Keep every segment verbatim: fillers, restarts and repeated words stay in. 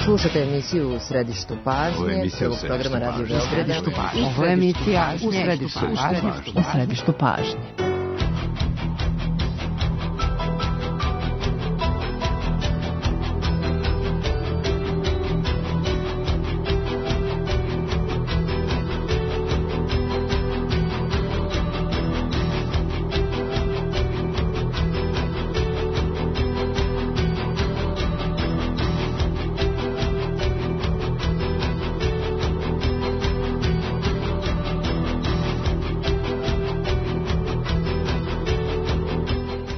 Slušate emisiju U središtu pažnje, prvog programa Radio Beograda. Ovo je emisija U središtu pažnje. U središtu pažnje.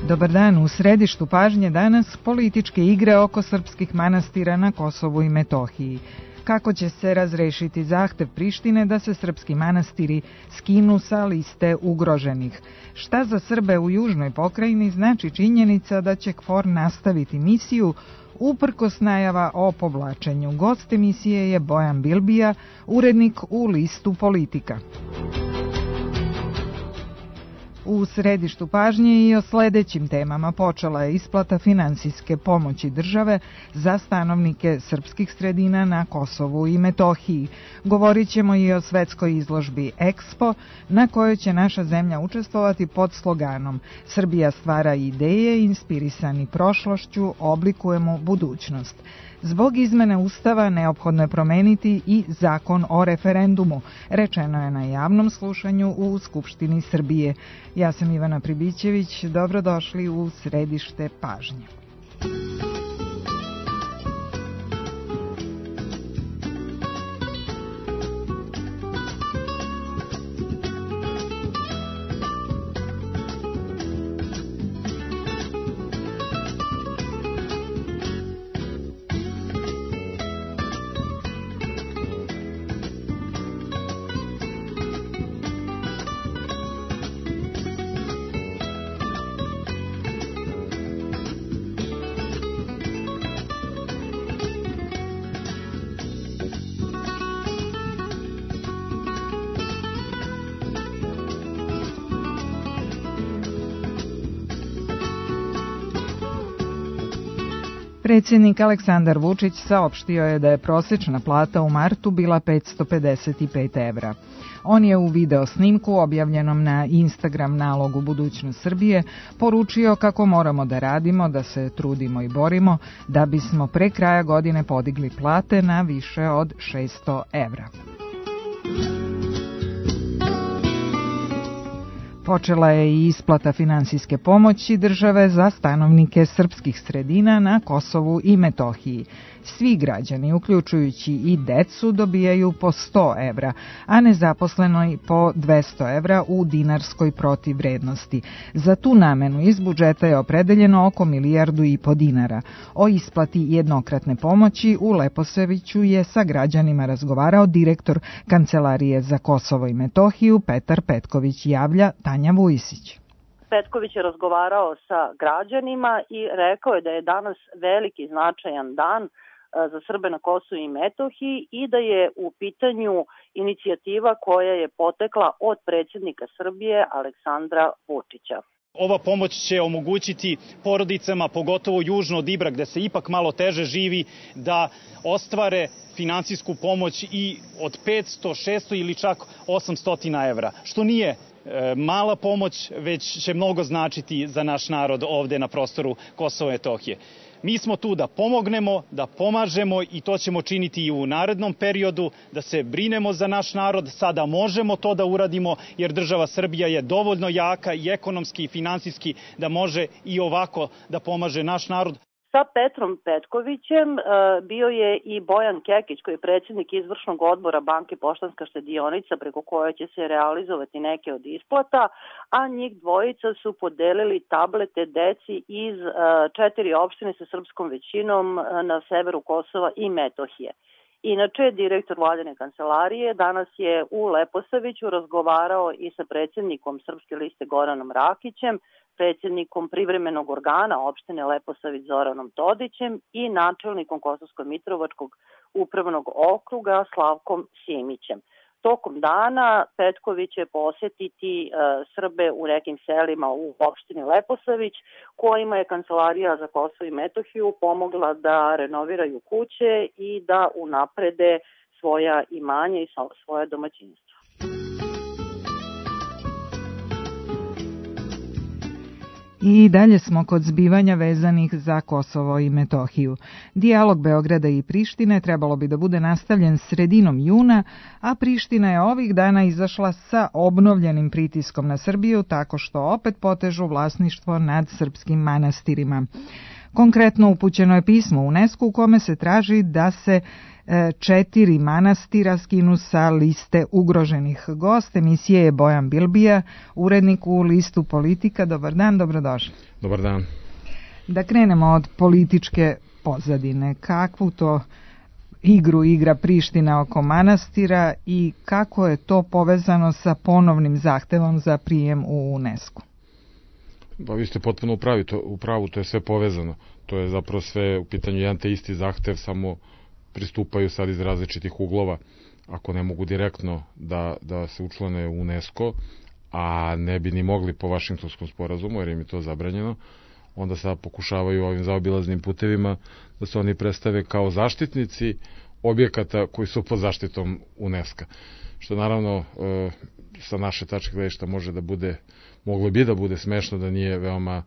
Dobar dan, u središtu pažnje danas političke igre oko srpskih manastira na Kosovu i Metohiji. Kako će se razrešiti zahtev Prištine da se srpski manastiri skinu sa liste ugroženih? Šta za Srbe u južnoj pokrajini znači činjenica da će KFOR nastaviti misiju uprkos najava o povlačenju? Gost emisije je Bojan Bilbija, urednik u listu Politika. U središtu pažnje i o sledećim temama počela je isplata finansijske pomoći države za stanovnike srpskih sredina na Kosovu i Metohiji. Govorit ćemo i o svetskoj izložbi Expo, na kojoj će naša zemlja učestvovati pod sloganom Srbija stvara ideje, inspirisani prošlošću, oblikujemo budućnost. Zbog izmene Ustava neophodno je promeniti i zakon o referendumu, rečeno je na javnom slušanju u Skupštini Srbije. Ja sam Ivana Pribićević, dobrodošli u središte pažnje. Predsjednik Aleksandar Vučić saopštio je da je prosječna plata u martu bila petsto pedeset pet evra. On je u video snimku objavljenom na Instagram nalogu Budućnost Srbije poručio kako moramo da radimo, da se trudimo i borimo da bismo pre kraja godine podigli plate na više od šesto evra. Počela je i isplata finansijske pomoći države za stanovnike srpskih sredina na Kosovu i Metohiji. Svi građani, uključujući i decu, dobijaju po sto evra, a nezaposlenoj po dvesta evra u dinarskoj protivvrednosti. Za tu namenu iz budžeta je opredeljeno oko milijardu i po dinara. O isplati jednokratne pomoći u Leposaviću je sa građanima razgovarao direktor Kancelarije za Kosovo i Metohiju Petar Petković, javlja Tanja Vujisić. Petković je razgovarao sa građanima i rekao je da je danas veliki značajan dan za Srbe na Kosovu i Metohiji i da je u pitanju inicijativa koja je potekla od predsjednika Srbije Aleksandra Vučića. Ova pomoć će omogućiti porodicama, pogotovo južno od Ibra, gde se ipak malo teže živi, da ostvare finansijsku pomoć i od petsto, šesto ili čak osamsto evra, što nije mala pomoć, već će mnogo značiti za naš narod ovde na prostoru Kosova i Metohije. Mi smo tu da pomognemo, da pomažemo i to ćemo činiti i u narednom periodu, da se brinemo za naš narod. Sada možemo to da uradimo jer država Srbija je dovoljno jaka i ekonomski i finansijski da može i ovako da pomaže naš narod. Sa Petrom Petkovićem bio je i Bojan Kekić, koji je predsjednik izvršnog odbora Banke Poštanska štedionica, preko koje će se realizovati neke od isplata, a njih dvojica su podelili tablete deci iz četiri opštine sa srpskom većinom na severu Kosova i Metohije. Inače, direktor vladine kancelarije danas je u Leposaviću razgovarao i sa predsjednikom Srpske liste Goranom Rakićem, predsjednikom privremenog organa opštine Leposavić Zoranom Todićem i načelnikom Kosovsko-Mitrovačkog upravnog okruga Slavkom Simićem. Tokom dana Petković će posjetiti Srbe u nekim selima u opštini Leposavić, kojima je Kancelarija za Kosovo i Metohiju pomogla da renoviraju kuće i da unaprede svoja imanja i svoje domaćinstva. I dalje smo kod zbivanja vezanih za Kosovo i Metohiju. Dijalog Beograda i Prištine trebalo bi da bude nastavljen sredinom juna, a Priština je ovih dana izašla sa obnovljenim pritiskom na Srbiju tako što opet potežu vlasništvo nad srpskim manastirima. Konkretno upućeno je pismo UNESCO u kome se traži da se četiri manastira skinu sa liste ugroženih. Gost emisije je Bojan Bilbija, urednik u listu Politika. Dobar dan, dobrodošli. Dobar dan. Da krenemo od političke pozadine. Kakvu to igru igra Priština oko manastira i kako je to povezano sa ponovnim zahtevom za prijem u UNESCO? Pa vi ste potpuno upravi, to, u pravu, to je sve povezano. To je zapravo sve u pitanju jedan te isti zahtev, samo pristupaju sad iz različitih uglova. Ako ne mogu direktno da, da se učlane u UNESCO, a ne bi ni mogli po Vašingtonskom sporazumu, jer im je to zabranjeno, onda sad pokušavaju ovim zaobilaznim putevima da se oni predstave kao zaštitnici objekata koji su pod zaštitom UNESCO. Što naravno e, sa naše tačke gledišta može da bude, moglo bi da bude smešno, da nije veoma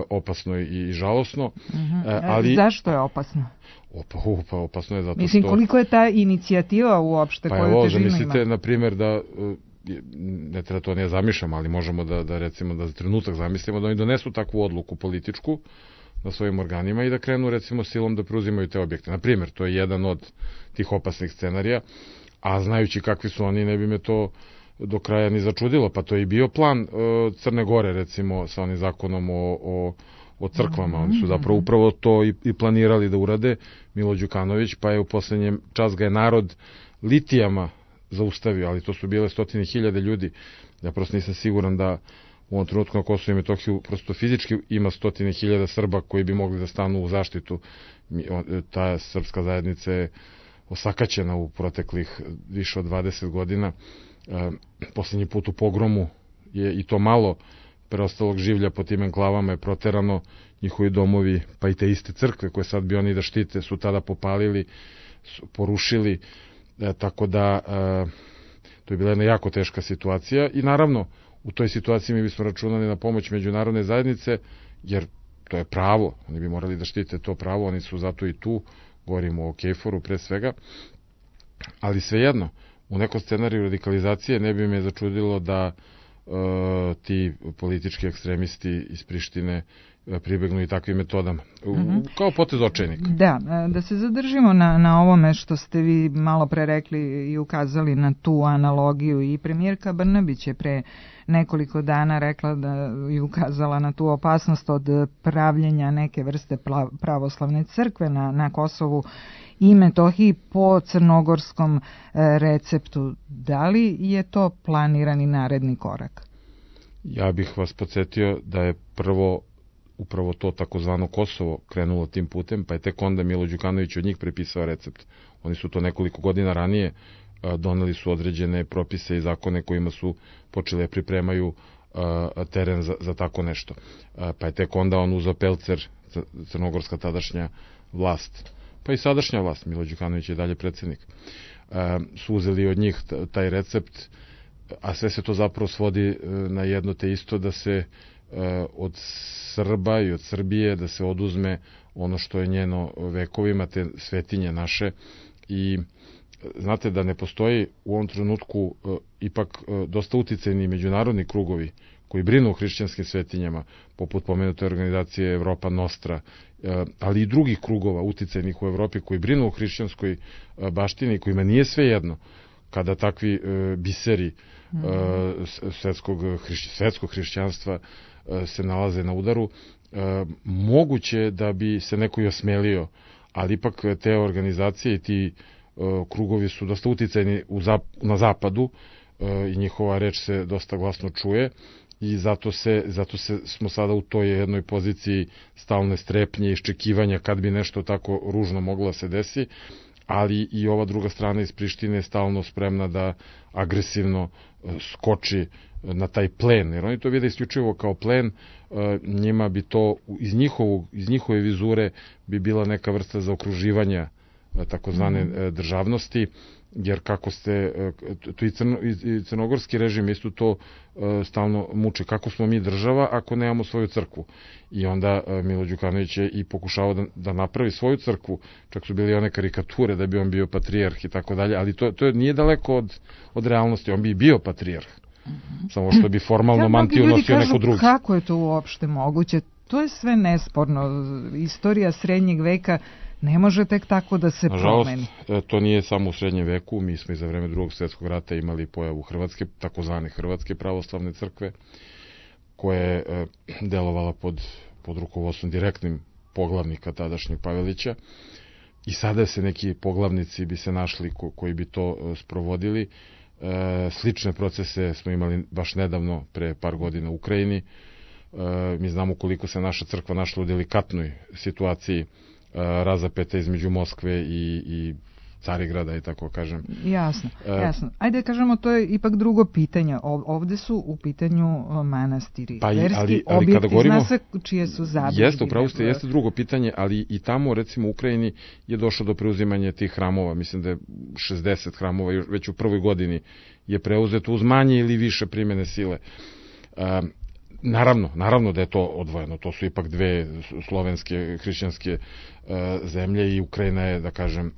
opasno i žalosno. Uh-huh. E, ali zašto je opasno? Opa, opa, opasno je zato što... Mislim, koliko je ta inicijativa uopšte pa koju težinu ima? Pa mislite, na primjer, da ne treba to ne zamišljamo, ali možemo da, da recimo da za trenutak zamislimo da oni donesu takvu odluku političku na svojim organima i da krenu recimo silom da preuzimaju te objekte. Na primjer, to je jedan od tih opasnih scenarija, a znajući kakvi su oni, ne bi me to do kraja ni začudilo, pa to je i bio plan uh, Crne Gore, recimo, sa onim zakonom o, o, o crkvama. Oni su zapravo upravo to i, i planirali da urade, Milo Đukanović, pa je u poslednjem čas ga je narod litijama zaustavio, ali to su bile stotine hiljade ljudi. Ja prosto nisam siguran da u ovom trenutku na Kosovu i Metohiju prosto fizički ima stotine hiljada Srba koji bi mogli da stanu u zaštitu. Ta srpska zajednica je osakaćena u proteklih više od dvadeset godina. E, poslednji put u pogromu je i to malo preostalog življa po tim enklavama je proterano, njihovi domovi, pa i te iste crkve koje sad bi oni da štite su tada popalili, su porušili, e, tako da e, to je bila jedna jako teška situacija i naravno u toj situaciji mi bismo računali na pomoć međunarodne zajednice, jer to je pravo, oni bi morali da štite to pravo, oni su zato i tu, govorimo o Kejforu pre svega, ali svejedno, u nekom scenariju radikalizacije ne bi me začudilo da e, ti politički ekstremisti iz Prištine e, pribegnu i takvim metodama. U, mm-hmm. Kao potez očajnika. Da, da se zadržimo na, na ovome što ste vi malo pre rekli i ukazali na tu analogiju. I premijerka Brnabić je pre nekoliko dana rekla da i ukazala na tu opasnost od pravljenja neke vrste pravoslavne crkve na, na Kosovu i Metohiji po crnogorskom e, receptu. Da li je to planirani naredni korak? Ja bih vas podsjetio da je prvo upravo to takozvano Kosovo krenulo tim putem, pa je tek onda Milo Đukanović od njih prepisao recept. Oni su to nekoliko godina ranije a, doneli su određene propise i zakone kojima su počeli da pripremaju a, teren za, za tako nešto. A, pa je tek onda on uzeo pelcer, crnogorska tadašnja vlast, pa i sadašnja vlast, Milo Đukanović je dalje predsjednik, e, su uzeli od njih taj recept, a sve se to zapravo svodi na jedno te isto, da se e, od Srba i od Srbije da se oduzme ono što je njeno vekovima, te svetinje naše. I znate da ne postoji u ovom trenutku e, ipak e, dosta uticajni međunarodni krugovi koji brinu o hrišćanskim svetinjama, poput pomenute organizacije Evropa Nostra, ali i drugih krugova uticajnih u Evropi koji brinu o hrišćanskoj baštini, kojima nije sve jedno kada takvi biseri svetskog, svetskog hrišćanstva se nalaze na udaru. Moguće da bi se neko i osmelio, ali ipak te organizacije i ti krugovi su dosta uticajni u zap, na zapadu i njihova reč se dosta glasno čuje. I zato, se, zato se smo sada u toj jednoj poziciji stalne strepnje i iščekivanja kad bi nešto tako ružno moglo da se desi, ali i ova druga strana iz Prištine je stalno spremna da agresivno skoči na taj plen, jer oni to vide isključivo kao plen, njima bi to iz, njihovog, iz njihove vizure bi bila neka vrsta zaokruživanja takozvane mm. državnosti, jer kako ste, to i, crno, i crnogorski režim isto to stalno muči, kako smo mi država ako nemamo svoju crkvu. I onda Milo Đukanović je i pokušao da, da napravi svoju crkvu, čak su bili one karikature da bi on bio patrijarh i tako dalje, ali to, to nije daleko od, od realnosti, on bi bio patrijarh. Mm-hmm. Samo što bi formalno mantiju nosio neko drugi. Kako je to uopšte moguće? To je sve nesporno. Istorija srednjeg veka ne može tek tako da se Nažalost, promeni. To nije samo u srednjem veku, mi smo i za vreme drugog svjetskog rata imali pojavu Hrvatske, takozvane Hrvatske pravoslavne crkve, koja je delovala pod, pod rukovodstvom direktnim poglavnika tadašnjeg Pavelića. I sada se neki poglavnici bi se našli ko, koji bi to sprovodili. E, slične procese smo imali baš nedavno, pre par godina u Ukrajini. E, mi znamo koliko se naša crkva našla u delikatnoj situaciji razapeta između Moskve i, i Carigrada, i tako kažem. Jasno, jasno. Ajde kažemo, to je ipak drugo pitanje. Ovde su u pitanju manastiri. Pa i, verski ali, ali objekti, kada govorimo, zna se čije su zabilježbe. Jeste, upravo ste, jeste drugo pitanje, ali i tamo, recimo u Ukrajini, je došlo do preuzimanja tih hramova. Mislim da je šezdeset hramova već u prvoj godini je preuzeto uz manje ili više primene sile. Um, Naravno, naravno da je to odvojeno, to su ipak dve slovenske, hrišćanske e, zemlje i Ukrajina je, da kažem,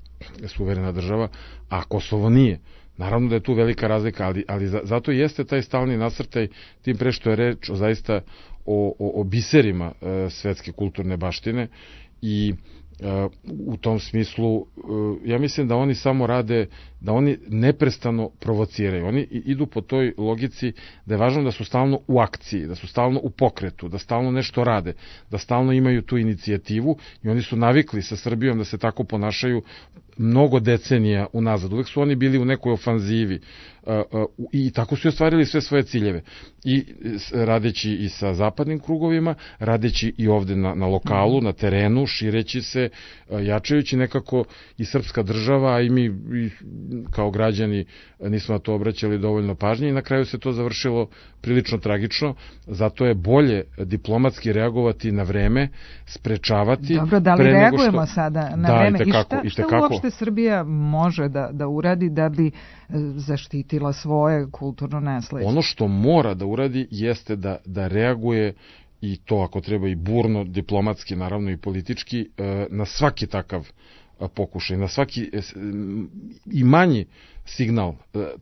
suverena država, a Kosovo nije. Naravno da je tu velika razlika, ali, ali za, zato jeste taj stalni nasrtaj, tim pre što je reč o zaista o, o, o biserima e, svetske kulturne baštine i u tom smislu, ja mislim da oni samo rade, da oni neprestano provociraju. Oni idu po toj logici da je važno da su stalno u akciji, da su stalno u pokretu, da stalno nešto rade, da stalno imaju tu inicijativu i oni su navikli sa Srbijom da se tako ponašaju mnogo decenija unazad. Uvek su oni bili u nekoj ofanzivi i tako su ostvarili sve svoje ciljeve. I radeći i sa zapadnim krugovima, radeći i ovde na, na lokalu, na terenu, šireći se, jačajući nekako i srpska država, a i mi i kao građani nismo na to obraćali dovoljno pažnje i na kraju se to završilo prilično tragično. Zato je bolje diplomatski reagovati na vreme, sprečavati. Dobro, da li reagujemo što... sada na da, vreme? I, tekako, I šta, i šta uopšte Srbija može da, da uradi da bi zaštitila svoje kulturno nasleđe? Ono što mora da uradi jeste da, da reaguje, i to ako treba i burno, diplomatski, naravno i politički, na svaki takav pokušaj, na svaki i manji signal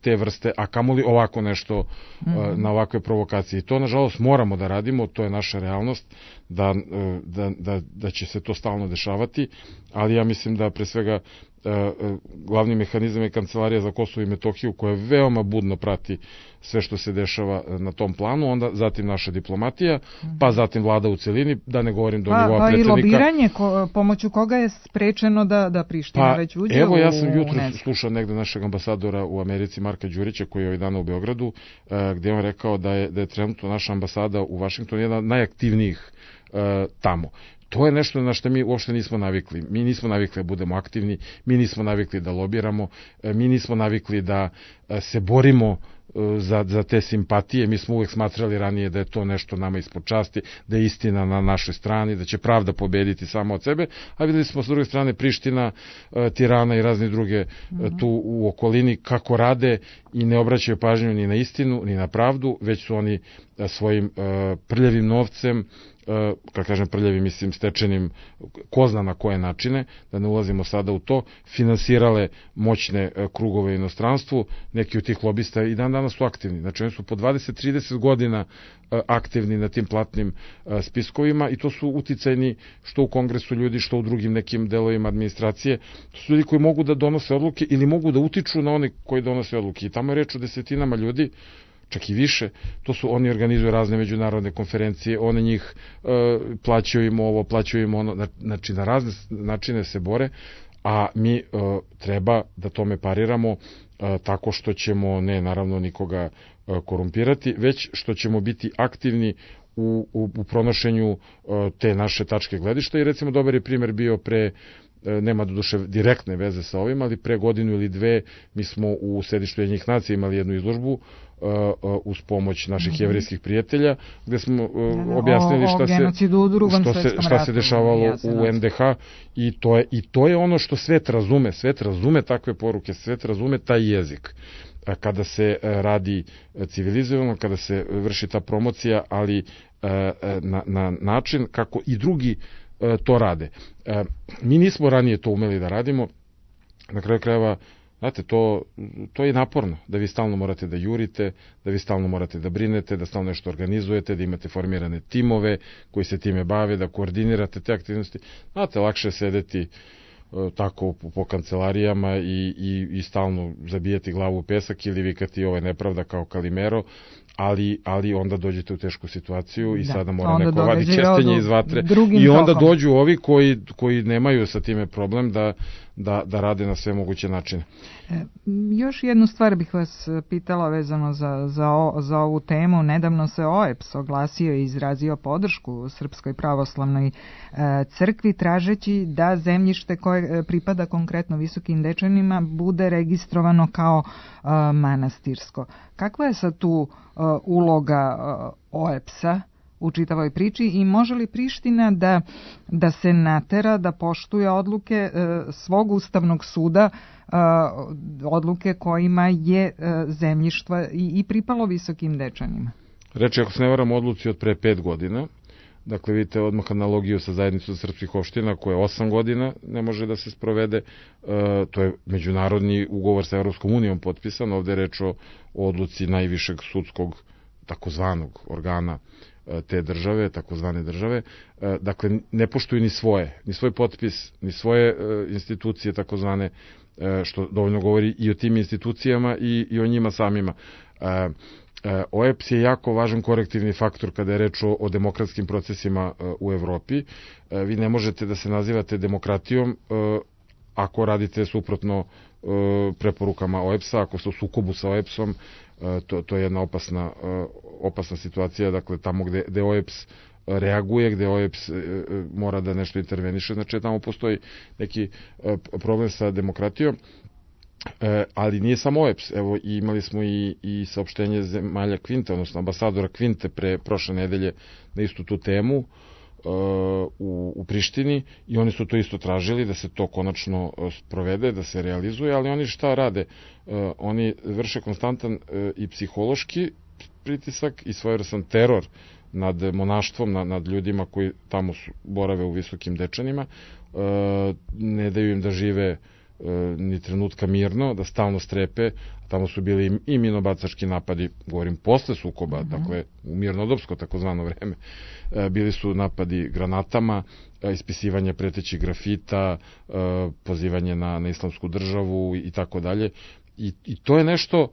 te vrste, a kamoli ovako nešto, mm-hmm. na ovakve provokacije. I to, nažalost, moramo da radimo, to je naša realnost, da, da, da, da će se to stalno dešavati, ali ja mislim da pre svega glavni mehanizam je Kancelarija za Kosovo i Metohiju, koja veoma budno prati sve što se dešava na tom planu, onda zatim naša diplomatija, pa zatim vlada u celini, da ne govorim do pa, nivoa pa predsednika. Pa i lobiranje, ko, pomoću koga je sprečeno da, da Priština pa, već uđe evo, u ja sam jutro UNESCO. Slušao negde našeg ambasadora u Americi, Marka Đurića, koji je ovaj dana u Beogradu, gde je on rekao da je, da je trenutno naša ambasada u Vašingtonu jedna od najaktivnijih tamo. To je nešto na što mi uopšte nismo navikli. Mi nismo navikli da budemo aktivni, mi nismo navikli da lobiramo, mi nismo navikli da se borimo za, za te simpatije. Mi smo uvek smatrali ranije da je to nešto nama ispod časti, da je istina na našoj strani, da će pravda pobediti samo od sebe, a videli smo s druge strane Priština, Tirana i razne druge mm-hmm. tu u okolini kako rade i ne obraćaju pažnju ni na istinu, ni na pravdu, već su oni svojim prljavim novcem, kad kažem prljavi, mislim stečenim ko zna na koje načine, da ne ulazimo sada u to, finansirale moćne krugove u inostranstvu, neki od tih lobista i dan danas su aktivni. Znači oni su po dvadeset do trideset godina aktivni na tim platnim spiskovima i to su uticajni što u kongresu ljudi, što u drugim nekim delovima administracije. To su ljudi koji mogu da donose odluke ili mogu da utiču na one koji donose odluke. I tamo je reč o desetinama ljudi, čak i više, to su, oni organizuju razne međunarodne konferencije, one njih e, plaćaju im ovo, plaćaju im ono, znači na razne načine se bore, a mi e, treba da tome pariramo e, tako što ćemo, ne naravno nikoga e, korumpirati, već što ćemo biti aktivni u, u, u pronošenju e, te naše tačke gledišta i recimo dobar je primer bio pre nema doduše direktne veze sa ovim, ali pre godinu ili dve mi smo u sedištu Ujedinjenih nacija imali jednu izložbu uz pomoć naših mm-hmm. jevrejskih prijatelja, gde smo uh, objasnili šta, se, što se, šta se dešavalo u en de ha i to, je, i to je ono što svet razume. Svet razume takve poruke, svet razume taj jezik. Kada se radi civilizovano, kada se vrši ta promocija, ali na, na način kako i drugi to rade. Mi nismo ranije to umeli da radimo, na kraju krajeva, znate, to, to je naporno, da vi stalno morate da jurite, da vi stalno morate da brinete, da stalno nešto organizujete, da imate formirane timove koji se time bave, da koordinirate te aktivnosti. Znate, lakše je sedeti tako po, po kancelarijama i, i, i stalno zabijati glavu u pesak ili vikati ovo je nepravda kao Kalimero, ali, ali onda dođete u tešku situaciju i da, sada mora neko vadi kestenje iz vatre i onda tokom. Dođu ovi koji, koji nemaju sa time problem da, da, da rade na sve moguće načine. E, još jednu stvar bih vas pitala vezano za, za, o, za ovu temu. Nedavno se o e pe es oglasio i izrazio podršku Srpskoj pravoslavnoj e, crkvi tražeći da zemljište koje pripada konkretno Visokim Dečanima bude registrovano kao e, manastirsko. Kakva je sad tu uh, uloga uh, o e pe es-a u čitavoj priči i može li Priština da, da se natera da poštuje odluke uh, svog Ustavnog suda, uh, odluke kojima je uh, zemljištva i, i pripalo Visokim Dečanima? Reči, ako se ne varam, odluci od pre pet godina. Dakle, vidite odmah analogiju sa zajednicom srpskih opština koja osam godina ne može da se sprovede. E, to je međunarodni ugovor sa Evropskom unijom potpisan. Ovde je reč o, o odluci najvišeg sudskog takozvanog organa e, te države, takozvane države. E, dakle, ne poštuju ni svoje, ni svoj potpis, ni svoje e, institucije takozvane, e, što dovoljno govori i o tim institucijama i, i o njima samima. E, o e pe es je jako važan korektivni faktor kada je reč o, o demokratskim procesima u Evropi. Vi ne možete da se nazivate demokratijom ako radite suprotno preporukama o e pe es-a, ako ste u sukobu sa o e pe es-om, to, to je jedna opasna, opasna situacija, dakle tamo gde, gde o e pe es reaguje, gde o e pe es mora da nešto interveniše, znači tamo postoji neki problem sa demokratijom. E, ali nije samo o e pe es, evo imali smo i, i saopštenje zemalja Kvinte, odnosno ambasadora Kvinte pre prošle nedelje na istu tu temu e, u, u Prištini i oni su to isto tražili da se to konačno sprovede, da se realizuje, ali oni šta rade? E, oni vrše konstantan e, i psihološki pritisak i svojevrstan teror nad monaštvom, nad, nad ljudima koji tamo su, borave u Visokim Dečanima, e, ne daju im da žive ni trenutka mirno, da stalno strepe. Tamo su bili i minobacački napadi, govorim posle sukoba, mm-hmm. dakle u mirnodopsko takozvano vreme. Bili su napadi granatama, ispisivanje pretećih grafita, pozivanje na, na islamsku državu i tako dalje. I, i to je nešto,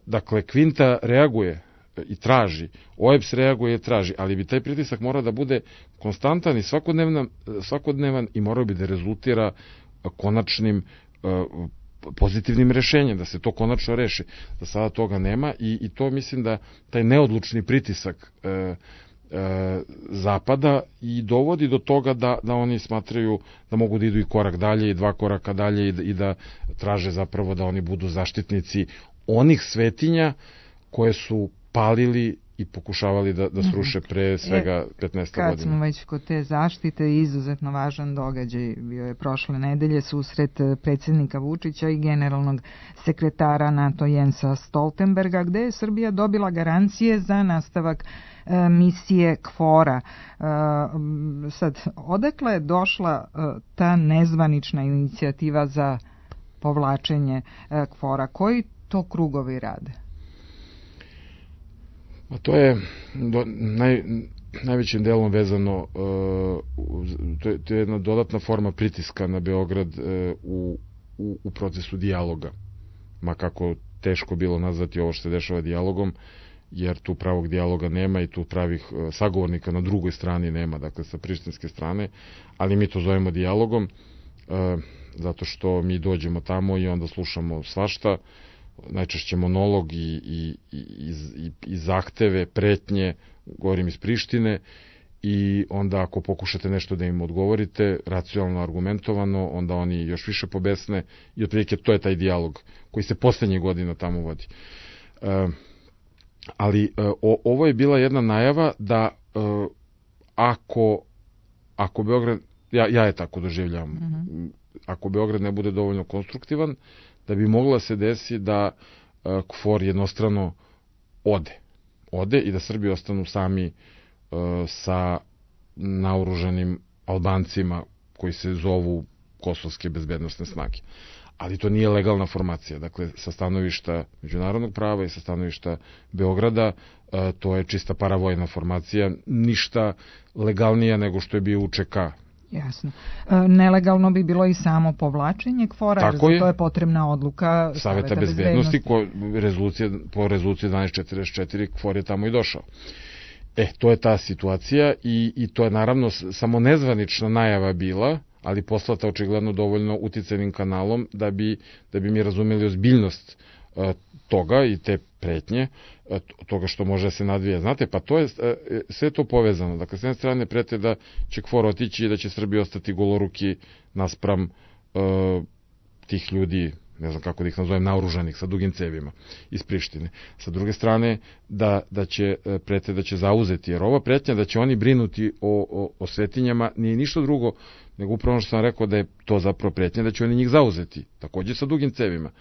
dakle Kvinta reaguje i traži, o e pe es reaguje i traži, ali bi taj pritisak mora da bude konstantan i svakodnevan, svakodnevan i mora bi da rezultira konačnim pozitivnim rešenjem, da se to konačno reši. Da sada toga nema i, i to mislim da taj neodlučni pritisak e, e, zapada i dovodi do toga da, da oni smatraju da mogu da idu i korak dalje i dva koraka dalje i da, i da traže zapravo da oni budu zaštitnici onih svetinja koje su palili i pokušavali da, da sruše pre svega petnaest godina. Kad smo već kod te zaštite, izuzetno važan događaj bio je prošle nedelje susret predsjednika Vučića i generalnog sekretara NATO Jensa Stoltenberga, gde je Srbija dobila garancije za nastavak e, misije KFOR-a. E, sad, odakle je došla e, ta nezvanična inicijativa za povlačenje e, KFOR-a? Koji to krugovi rade? A to je do, naj, najvećim delom vezano, uh, to, je, to je jedna dodatna forma pritiska na Beograd uh, u, u, u procesu dijaloga. Ma kako teško bilo nazvati ovo što se dešava dijalogom, jer tu pravog dijaloga nema i tu pravih uh, sagovornika na drugoj strani nema, dakle sa prištinske strane, ali mi to zovemo dijalogom, uh, zato što mi dođemo tamo i onda slušamo svašta, najčešće monolog i, i, i, i, i zahteve, pretnje, govorim iz Prištine, i onda ako pokušate nešto da im odgovorite, racionalno, argumentovano, onda oni još više pobesne i otprilike to je taj dijalog koji se poslednjih godina tamo vodi. E, ali e, o, ovo je bila jedna najava da e, ako, ako Beograd, ja, ja je tako doživljavam, mm-hmm. ako Beograd ne bude dovoljno konstruktivan, da bi mogla se desi da e, KFOR jednostrano ode. Ode i da Srbi ostanu sami e, sa naoružanim Albancima koji se zovu kosovske bezbednosne snage. Ali to nije legalna formacija. Dakle, sa stanovišta međunarodnog prava i sa stanovišta Beograda, e, to je čista paravojna formacija, ništa legalnija nego što je bio U Č K. Jasno. E, nelegalno bi bilo i samo povlačenje KFOR-a, jer za to je potrebna odluka Saveta, Saveta bezbednosti. bezbednosti ko, rezolucija, po rezoluciji dvanaest četrdeset četiri KFOR je tamo i došao. E, to je ta situacija i, i to je naravno samo nezvanična najava bila, ali poslata očigledno dovoljno uticajnim kanalom da bi, da bi mi razumeli ozbiljnost e, toga i te pretnje, e, toga što može da se nadvije. Znate, pa to je e, sve to povezano. Dakle, s jedne strane prete da će KFOR otići i da će Srbija ostati goloruki naspram e, tih ljudi, ne znam kako da ih nazovem, naoružanih sa dugim cevima iz Prištine. Sa druge strane, da, da će prete da će zauzeti, jer ova pretnja da će oni brinuti o, o, o svetinjama nije ništa drugo, nego upravo što sam rekao da je to zapravo pretnja da će oni njih zauzeti, takođe sa dugim cevima.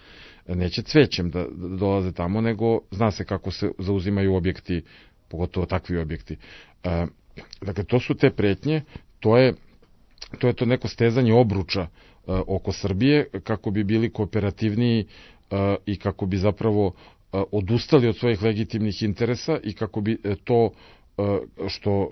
Neće cvećem da, da dolaze tamo, nego zna se kako se zauzimaju objekti, pogotovo takvi objekti. E, dakle, to su te pretnje, to je to je to neko stezanje obruča oko Srbije, kako bi bili kooperativniji i kako bi zapravo odustali od svojih legitimnih interesa i kako bi to što,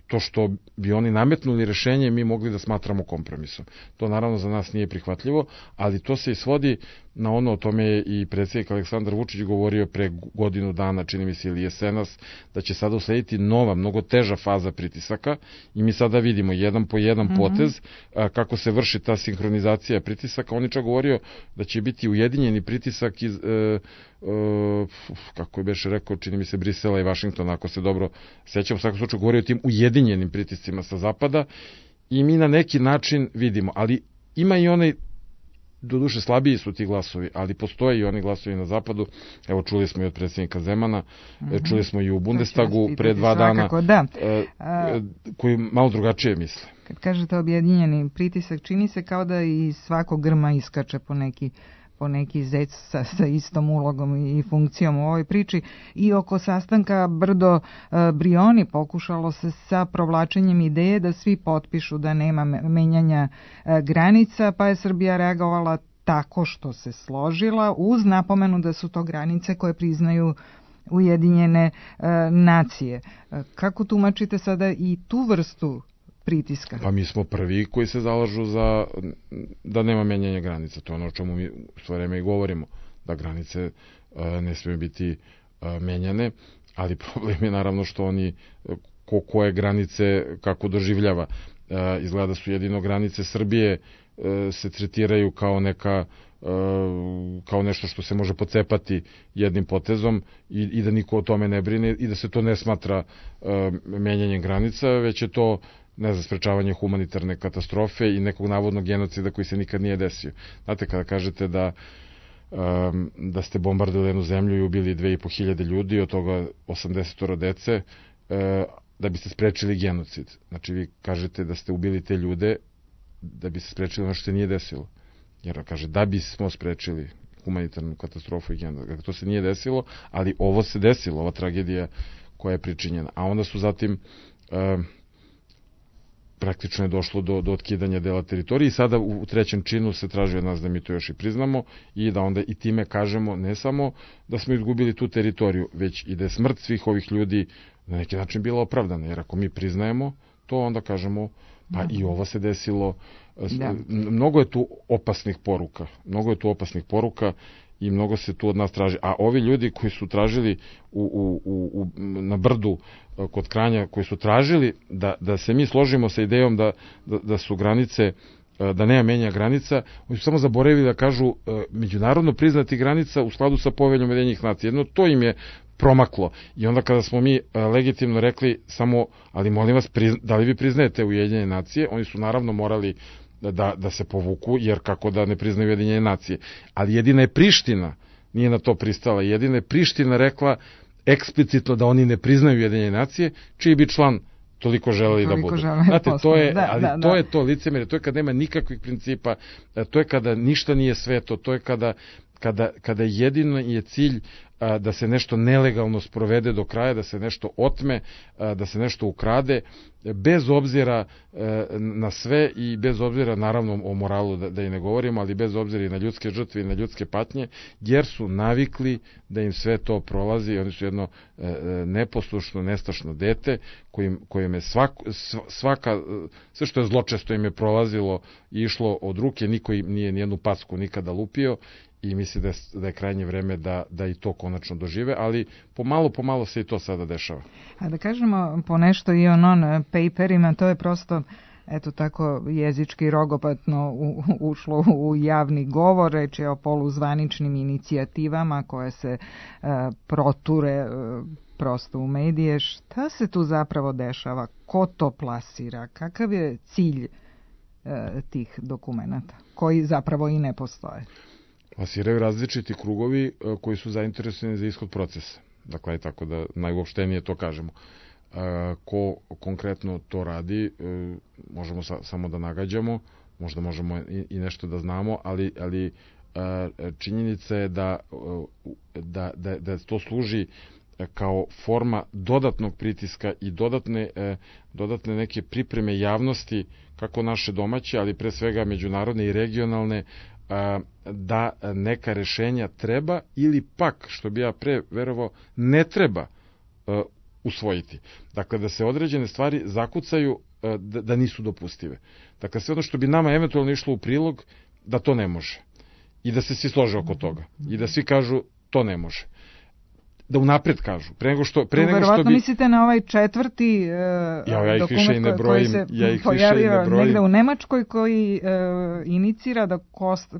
to što bi oni nametnuli rešenje mi mogli da smatramo kompromisom. To naravno za nas nije prihvatljivo, ali to se i svodi na ono, o tome je i predsjednik Aleksandar Vučić govorio pre godinu dana, čini mi se ili jesenas, da će sada uslediti nova, mnogo teža faza pritisaka i mi sada vidimo jedan po jedan mm-hmm. potez a, kako se vrši ta sinhronizacija pritisaka. On je čak govorio da će biti ujedinjeni pritisak iz, e, e, kako je beše rekao, čini mi se Brisela i Vašingtona, ako se dobro sećam, u svakom slučaju govorio o tim ujedinjenim pritiscima sa zapada i mi na neki način vidimo, ali ima i onaj, doduše slabiji su ti glasovi, ali postoje i oni glasovi na zapadu. Evo, čuli smo i od predsjednika Zemana, mm-hmm. čuli smo i u Bundestagu pre dva dana, da. A, koji malo drugačije misle. Kad kažete objedinjeni pritisak, čini se kao da i svako grma iskače po neki po neki zec sa, sa istom ulogom i funkcijom u ovoj priči. I oko sastanka Brdo e, Brioni pokušalo se sa provlačenjem ideje da svi potpišu da nema menjanja e, granica, pa je Srbija reagovala tako što se složila uz napomenu da su to granice koje priznaju Ujedinjene e, nacije. E, kako tumačite sada i tu vrstu pritiska? Pa mi smo prvi koji se zalažu za da nema menjanja granica. To je ono o čemu mi svo vreme i govorimo, da granice e, ne smiju biti e, menjane, ali problem je naravno što oni ko, koje granice kako doživljava. E, izgleda su jedino granice Srbije e, se tretiraju kao neka kao nešto što se može pocepati jednim potezom i, i da niko o tome ne brine i da se to ne smatra e, menjanjem granica, već je to, ne znam, sprečavanje humanitarne katastrofe i nekog navodnog genocida koji se nikad nije desio. Znate, kada kažete da um, da ste bombardovali jednu zemlju i ubili dve i po hiljade ljudi, od toga osamdeset dece, uh, da biste sprečili genocid. Znači, vi kažete da ste ubili te ljude da bi se sprečili ono što se nije desilo. Jer kaže, da bismo sprečili humanitarnu katastrofu i genocid. To se nije desilo, ali ovo se desilo, ova tragedija koja je pričinjena. A onda su zatim um, praktično je došlo do, do otkidanja dela teritorije i sada u, u trećem činu se traži od nas da mi to još i priznamo i da onda i time kažemo ne samo da smo izgubili tu teritoriju, već i da je smrt svih ovih ljudi na neki način bila opravdana, jer ako mi priznajemo to, onda kažemo pa da. I ovo se desilo. Da. Mnogo je tu opasnih poruka, mnogo je tu opasnih poruka i mnogo se tu od nas traži. A ovi ljudi koji su tražili u, u, u, na Brdu kod Kranja, koji su tražili da, da se mi složimo sa idejom da, da, da su granice, da nema menja granica, oni su samo zaboravili da kažu međunarodno priznati granica u skladu sa poveljom Ujedinjenih nacija. Jedno to im je promaklo. I onda kada smo mi legitimno rekli samo, ali molim vas, da li vi priznajete Ujedinjene nacije, oni su naravno morali da, da se povuku, jer kako da ne priznaju Ujedinjene nacije. Ali jedina je Priština nije na to pristala. Jedina je Priština rekla eksplicitno da oni ne priznaju Ujedinjene nacije, čiji bi član toliko želeli da budu. Znate, to je, da, ali da, to da. je to licemjerje, to je kad nema nikakvih principa, to je kada ništa nije sveto, to je kada, kada, kada jedino je cilj a, da se nešto nelegalno sprovede do kraja, da se nešto otme, a, da se nešto ukrade, bez obzira a, na sve i bez obzira naravno o moralu da, da i ne govorimo, ali bez obzira i na ljudske žrtve i na ljudske patnje, jer su navikli da im sve to prolazi. Oni su jedno a, neposlušno, nestašno dete kojim, kojim je svak, svaka, sve što je zločesto im je prolazilo i išlo od ruke, niko im nije nijednu packu nikada lupio. I misli da je, da je krajnje vreme da, da i to konačno dožive, ali pomalo, pomalo se i to sada dešava. A da kažemo po nešto i o non-paperima, to je prosto, eto tako, jezički rogopatno u, ušlo u javni govor, reč je o poluzvaničnim inicijativama koje se uh, proture uh, prosto u medije. Šta se tu zapravo dešava? Ko to plasira? Kakav je cilj uh, tih dokumenata, koji zapravo i ne postoje? Plasiraju različiti krugovi koji su zainteresovani za ishod procesa. Dakle, tako da najuopštenije to kažemo. Ko konkretno to radi, možemo sa, samo da nagađamo, možda možemo i, i nešto da znamo, ali, ali činjenica je da, da, da, da to služi kao forma dodatnog pritiska i dodatne, dodatne neke pripreme javnosti, kako naše domaće, ali pre svega međunarodne i regionalne, da neka rešenja treba ili pak, što bi ja pre verovao, ne treba usvojiti. Dakle, da se određene stvari zakucaju da, da nisu dopustive. Dakle, sve ono što bi nama eventualno išlo u prilog, da to ne može. I da se svi slože oko toga. I da svi kažu to ne može. Da unapred kažu. Pre nego što, pre nego što bi... mislite na ovaj četvrti uh, ja, ja dokument ne brojim, koji se ja ih pojavio ne negde u Nemačkoj, koji uh, inicira da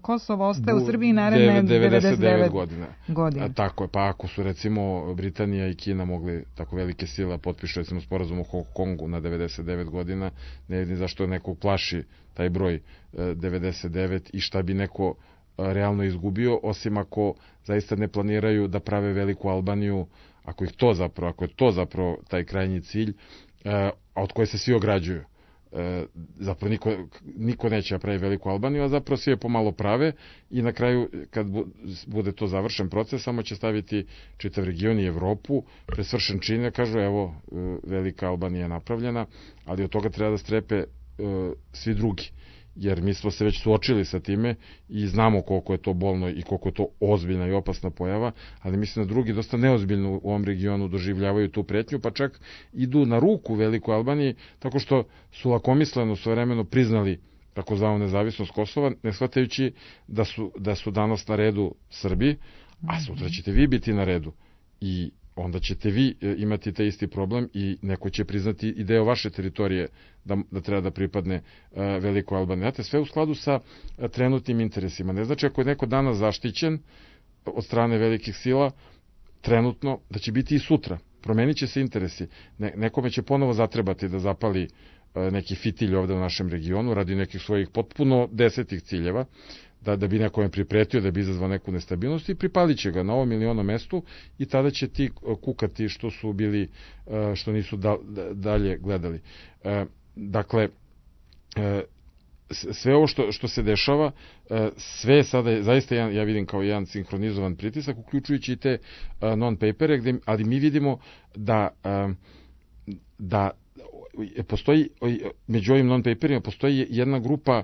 Kosovo ostaje u Srbiji naredne devedeset devet godina. godina. A, tako je, pa ako su recimo Britanija i Kina mogli tako velike sile potpišu recimo sporazum o Hong Kongu na devedeset devet godina, ne vidim zašto neko plaši taj broj uh, devedeset devet i šta bi neko realno izgubio, osim ako zaista ne planiraju da prave veliku Albaniju, ako ih to zapravo, ako je to zapravo taj krajnji cilj, a od koje se svi ograđuju. Zapravo niko, niko neće da pravi veliku Albaniju, a zapravo svi je pomalo prave i na kraju, kad bude to završen proces, samo će staviti čitav region i Evropu, presvršen čine, kažu evo, velika Albanija je napravljena, ali od toga treba da strepe svi drugi. Jer mi smo se već suočili sa time i znamo koliko je to bolno i koliko je to ozbiljna i opasna pojava, ali mislim da drugi dosta neozbiljno u ovom regionu doživljavaju tu pretnju, pa čak idu na ruku Velikoj Albaniji, tako što su lakomisleno svojevremeno priznali takozvanu nezavisnost Kosova, ne shvatajući da su, da su danas na redu Srbi, a sutra ćete vi biti na redu. I onda ćete vi imati taj isti problem i neko će priznati i deo vaše teritorije da, da treba da pripadne uh, Velikoj Albaniji. Znate, sve u skladu sa uh, trenutnim interesima. Ne znači ako je neko danas zaštićen od strane velikih sila, trenutno, da će biti i sutra. Promenit će se interesi. Ne, nekome će ponovo zatrebati da zapali uh, neki fitilj ovde u našem regionu radi nekih svojih potpuno desetih ciljeva, da, da bi nekome pripretio, da bi izazvao neku nestabilnost i pripalit će ga na ovom ili onom mestu i tada će ti kukati što su bili, što nisu da, da, dalje gledali. Dakle, sve ovo što, što se dešava, sve je sada zaista, jedan, ja vidim kao jedan sinhronizovan pritisak, uključujući i te non-papere, gde, ali mi vidimo da, da postoji, među ovim non-paperima postoji jedna grupa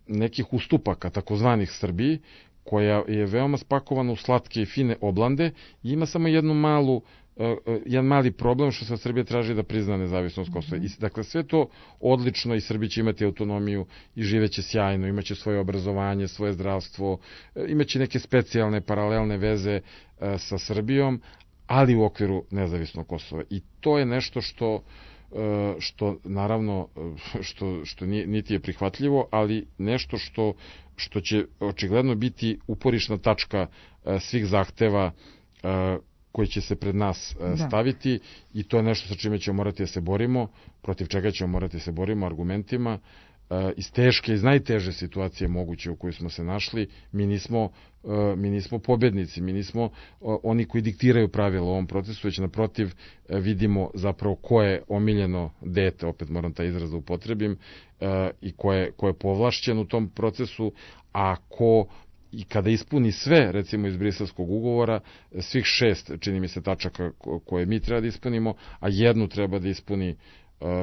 nekih ustupaka, takozvanih Srbiji, koja je veoma spakovana u slatke i fine oblande i ima samo jednu malu, jedan mali problem što se od Srbije traži da prizna nezavisnost Kosova. I, dakle, sve to odlično i Srbi će imati autonomiju i živeće sjajno, imaće svoje obrazovanje, svoje zdravstvo, imaće neke specijalne paralelne veze sa Srbijom, ali u okviru nezavisnog Kosova. I to je nešto što što naravno što, što nije, niti je prihvatljivo, ali nešto što, što će očigledno biti uporišna tačka svih zahteva koji će se pred nas staviti da. I to je nešto sa čime ćemo morati da se borimo, protiv čega ćemo morati da se borimo argumentima. Iz teške, iz najteže situacije moguće u kojoj smo se našli, mi nismo, mi nismo pobednici, mi nismo oni koji diktiraju pravila u ovom procesu, već naprotiv vidimo zapravo ko je omiljeno dete, opet moram taj izraz da upotrebim, i ko je, ko je povlašćen u tom procesu, a ko i kada ispuni sve, recimo iz Briselskog ugovora, svih šest, čini mi se, tačaka koje mi treba da ispunimo, a jednu treba da ispuni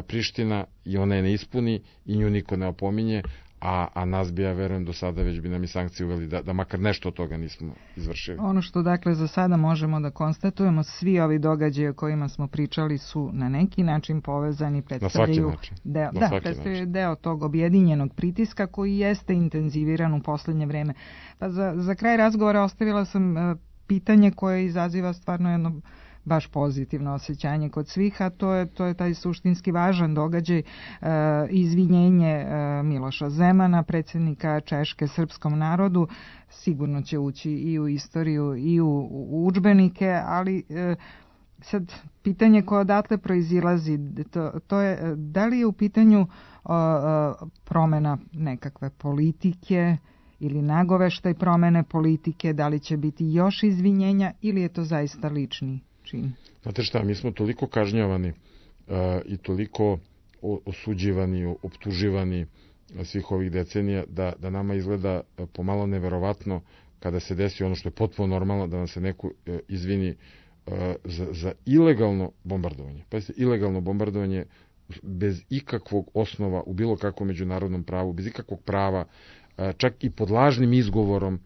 Priština i ona je ne ispuni i nju niko ne opominje, a, a nas bi, ja verujem, do sada već bi nam i sankcije uveli da, da makar nešto od toga nismo izvršili. Ono što dakle za sada možemo da konstatujemo, svi ovi događaje o kojima smo pričali su na neki način povezani, predstavljaju, na svaki način. Deo, na da, svaki predstavljaju način. deo tog objedinjenog pritiska koji jeste intenziviran u poslednje vreme. Pa za, za kraj razgovora ostavila sam uh, pitanje koje izaziva stvarno jedno baš pozitivno osjećanje kod svih, a to je, to je taj suštinski važan događaj, e, izvinjenje e, Miloša Zemana, predsjednika Češke srpskom narodu, sigurno će ući i u istoriju i u, u udžbenike, ali e, sad pitanje koje odatle proizilazi, to, to je da li je u pitanju o, o, promena nekakve politike ili nagoveštaj promene politike, da li će biti još izvinjenja ili je to zaista lični čin? Znate šta, mi smo toliko kažnjavani uh, i toliko osuđivani, optuživani svih ovih decenija da, da nama izgleda pomalo neverovatno kada se desi ono što je potpuno normalno, da nam se neko uh, izvini uh, za, za ilegalno bombardovanje. Pa jeste, ilegalno bombardovanje bez ikakvog osnova u bilo kakvom međunarodnom pravu, bez ikakvog prava, uh, čak i pod lažnim izgovorom.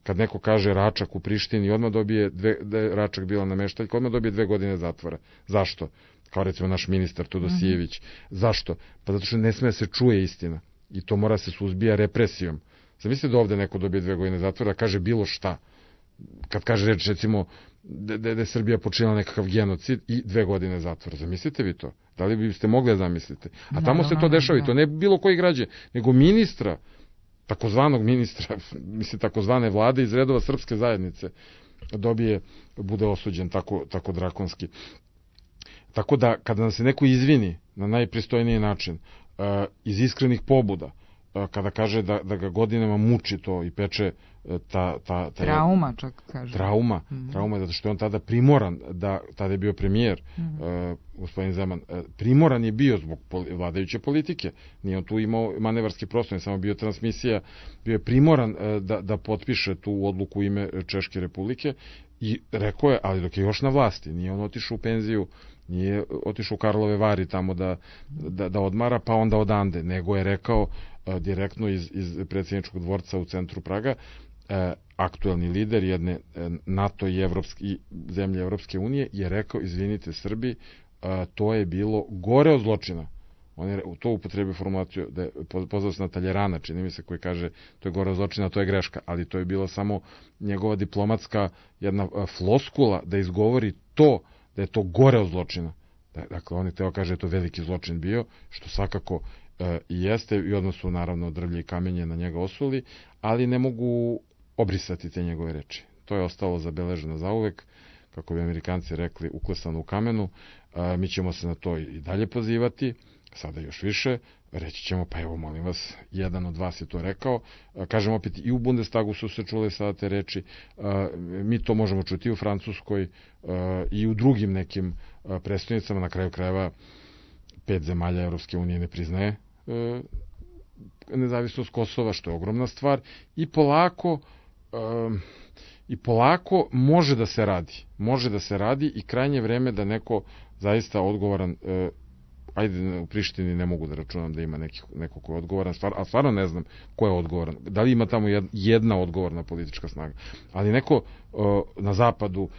Kad neko kaže Račak u Prištini, odmah dobije, dve, da je Račak bila nameštaljka, odmah dobije dve godine zatvora. Zašto? Kao recimo naš ministar Todosijević. Mm-hmm. Zašto? Pa zato što ne sme se čuje istina. I to mora se suzbija represijom. Zamislite da ovde neko dobije dve godine zatvora, da kaže bilo šta. Kad kaže reč, recimo, da, da je Srbija počinila nekakav genocid i dve godine zatvora. Zamislite vi to? Da li biste mogli da zamislite? A tamo no, se to dešava no, no. I to ne bilo koji građan, nego ministra, takozvanog ministra, mislim takozvane vlade iz redova srpske zajednice dobije, bude osuđen tako, tako drakonski. Tako da kada nam se neko izvini na najpristojniji način, uh, iz iskrenih pobuda, uh, kada kaže da, da ga godinama muči to i peče uh, ta, ta, ta trauma čak kaže. Trauma, mm-hmm. trauma zato što je on tada primoran, da tada je bio premijer, mm-hmm. uh, gospodin Zeman, uh, primoran je bio zbog poli, vladajuće politike. Nije on tu imao manevarski prostor, ne samo bio transmisija, bio je primoran uh, da, da potpiše tu odluku u ime Češke republike i rekao je, ali dok je još na vlasti, nije on otišao u penziju, nije otišao u Karlove Vari tamo da, da, da odmara, pa onda odande, nego je rekao uh, direktno iz, iz predsjedničkog dvorca u centru Praga, uh, aktuelni lider jedne uh, NATO i, Evropske, i zemlje Evropske unije je rekao, izvinite Srbi, uh, to je bilo gore od zločina. On je to upotrebio formulaciju, da je pozvao se na Taljerana, čini mi se, koji kaže to je gore od zločina, to je greška, ali to je bila samo njegova diplomatska jedna uh, floskula da izgovori to, da je to gore od zločina. Dakle, on je teo kaže da je to veliki zločin bio, što svakako e, i jeste, i odnosu naravno drvlje i kamenje na njega osuli, ali ne mogu obrisati te njegove reči. To je ostalo zabeleženo zauvek, kako bi Amerikanci rekli, uklesano u kamenu. E, mi ćemo se na to i dalje pozivati, sada još više, reći ćemo, pa evo, molim vas, jedan od vas je to rekao. Kažem opet, i u Bundestagu su se čule sada te reči, mi to možemo čuti i u Francuskoj i u drugim nekim predstavnicama, na kraju krajeva pet zemalja Evropske unije ne priznaje nezavisnost Kosova, što je ogromna stvar, i polako i polako može da se radi. Može da se radi i krajnje vreme da neko zaista odgovoran, ajde, u Prištini ne mogu da računam da ima neki, neko ko je odgovoran, stvar, a stvarno ne znam ko je odgovoran. Da li ima tamo jedna odgovorna politička snaga. Ali neko uh, na zapadu uh,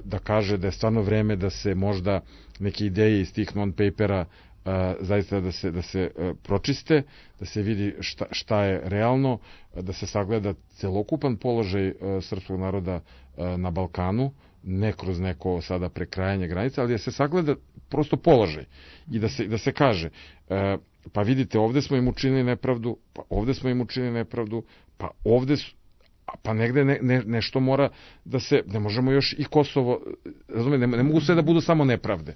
da kaže da je stvarno vreme da se možda neke ideje iz tih non-papera uh, zaista da se, da se uh, pročiste, da se vidi šta, šta je realno, da se sagleda celokupan položaj uh, srpskog naroda uh, na Balkanu, ne kroz neko sada prekrajanje granica, ali da se sagleda prosto položaj i da se, da se kaže e, pa vidite, ovde smo im učinili nepravdu, pa ovde smo im učinili nepravdu, pa ovde su, pa negde ne, ne, nešto mora da se, ne možemo još i Kosovo, razumijete, ne, ne mogu sve da budu samo nepravde.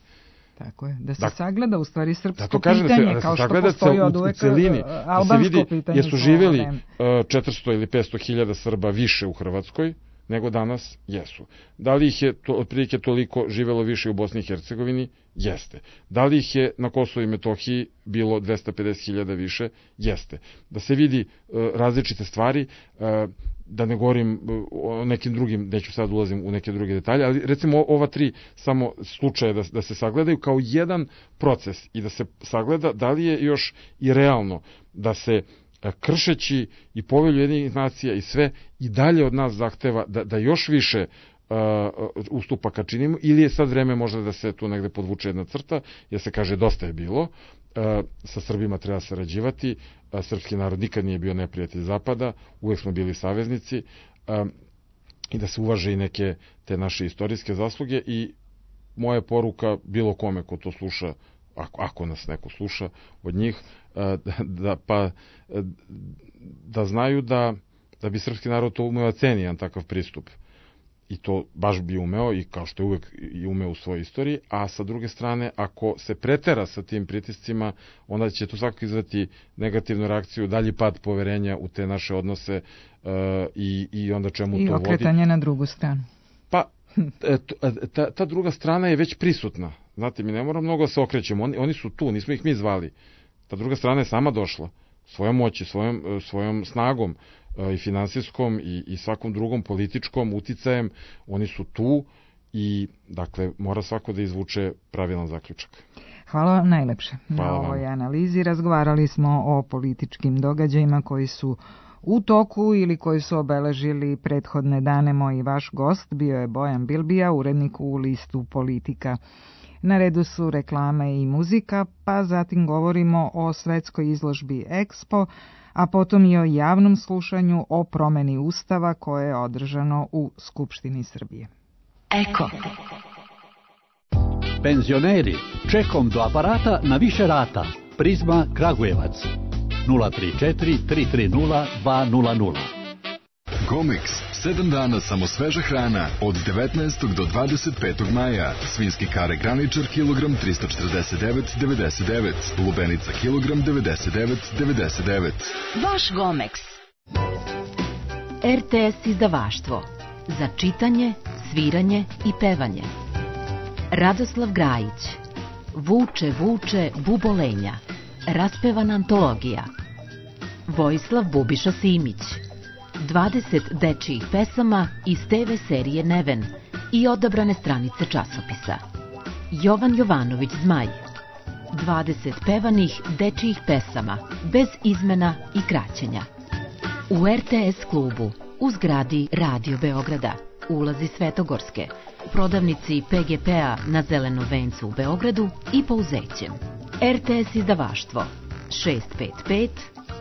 Tako je, da se da, sagleda u stvari srpsko da pitanje, da se, kao da što postoji od uvek celini, albansko da se vidi, pitanje. Jesu živjeli uh, četiristo ili petsto hiljada Srba više u Hrvatskoj nego danas? Jesu. Da li ih je to, otprilike toliko živelo više u Bosni i Hercegovini? Jeste. Da li ih je na Kosovu i Metohiji bilo dvesta pedeset hiljada više? Jeste. Da se vidi uh, različite stvari, uh, da ne govorim o nekim drugim, neću sad ulazim u neke druge detalje, ali recimo ova tri samo slučaje da, da se sagledaju kao jedan proces i da se sagleda da li je još i realno da se kršeći i Povelju Ujedinjenih nacija i sve i dalje od nas zahteva da, da još više uh, ustupaka činimo, ili je sad vreme možda da se tu negde podvuče jedna crta, jer se kaže dosta je bilo, uh, sa Srbima treba sarađivati, uh, srpski narod nikad nije bio neprijatelj Zapada, uvek smo bili saveznici, uh, i da se uvaže i neke te naše istorijske zasluge. I moja poruka bilo kome ko to sluša, ako, ako nas neko sluša od njih, da, pa, da znaju da, da bi srpski narod to umeo ceni, jedan takav pristup. I to baš bi umeo, i kao što je uvek i umeo u svojoj istoriji, a sa druge strane, ako se pretera sa tim pritiscima, onda će to svakako izvati negativnu reakciju, dalji pad poverenja u te naše odnose uh, i, i onda čemu I to vodi. I okretanje na drugu stranu. Pa, ta, ta druga strana je već prisutna. Znate, mi ne moramo mnogo da se okrećemo, oni, oni su tu, nismo ih mi zvali. Ta druga strana je sama došla, svojom moći, svojom, svojom snagom i finansijskom i, i svakom drugom političkom uticajem, oni su tu i, dakle, mora svako da izvuče pravilan zaključak. Hvala vam najlepše Hvala na ovoj vam. analizi. Razgovarali smo o političkim događajima koji su u toku ili koji su obeležili prethodne dane. Moj i vaš gost bio je Bojan Bilbija, urednik u listu Politika. Na redu su reklame i muzika, pa zatim govorimo o svetskoj izložbi Expo, a potom i o javnom slušanju o promeni Ustava koje je održano u Skupštini Srbije. Eko. Penzioneri, čekom do aparata na više rata. Prizma Kragujevac. nula tri četiri tri tri nula dva nula nula. Gomex, sedam dana samo sveža hrana od devetnaestog do dvadeset petog maja. Svinjski kare graničar kilogram trista četrdeset devet zarez devedeset devet, lubenica kilogram devedeset devet zarez devedeset devet. Vaš Gomex. er te es izdavaštvo. Za čitanje, sviranje i pevanje. Radoslav Grajić. Vuče, vuče, bubolenja. Raspevana antologija. Vojislav Bubiša Simić. dvadeset dečijih pesama iz te ve serije Neven i odabrane stranice časopisa. Jovan Jovanović Zmaj. dvadeset pevanih dečijih pesama, bez izmena i kraćenja. U er te es klubu, u zgradi Radio Beograda, ulazi Svetogorske, prodavnici pe ge pe-a na Zelenom vencu u Beogradu i Pouzećem. er te es izdavaštvo šest pet pet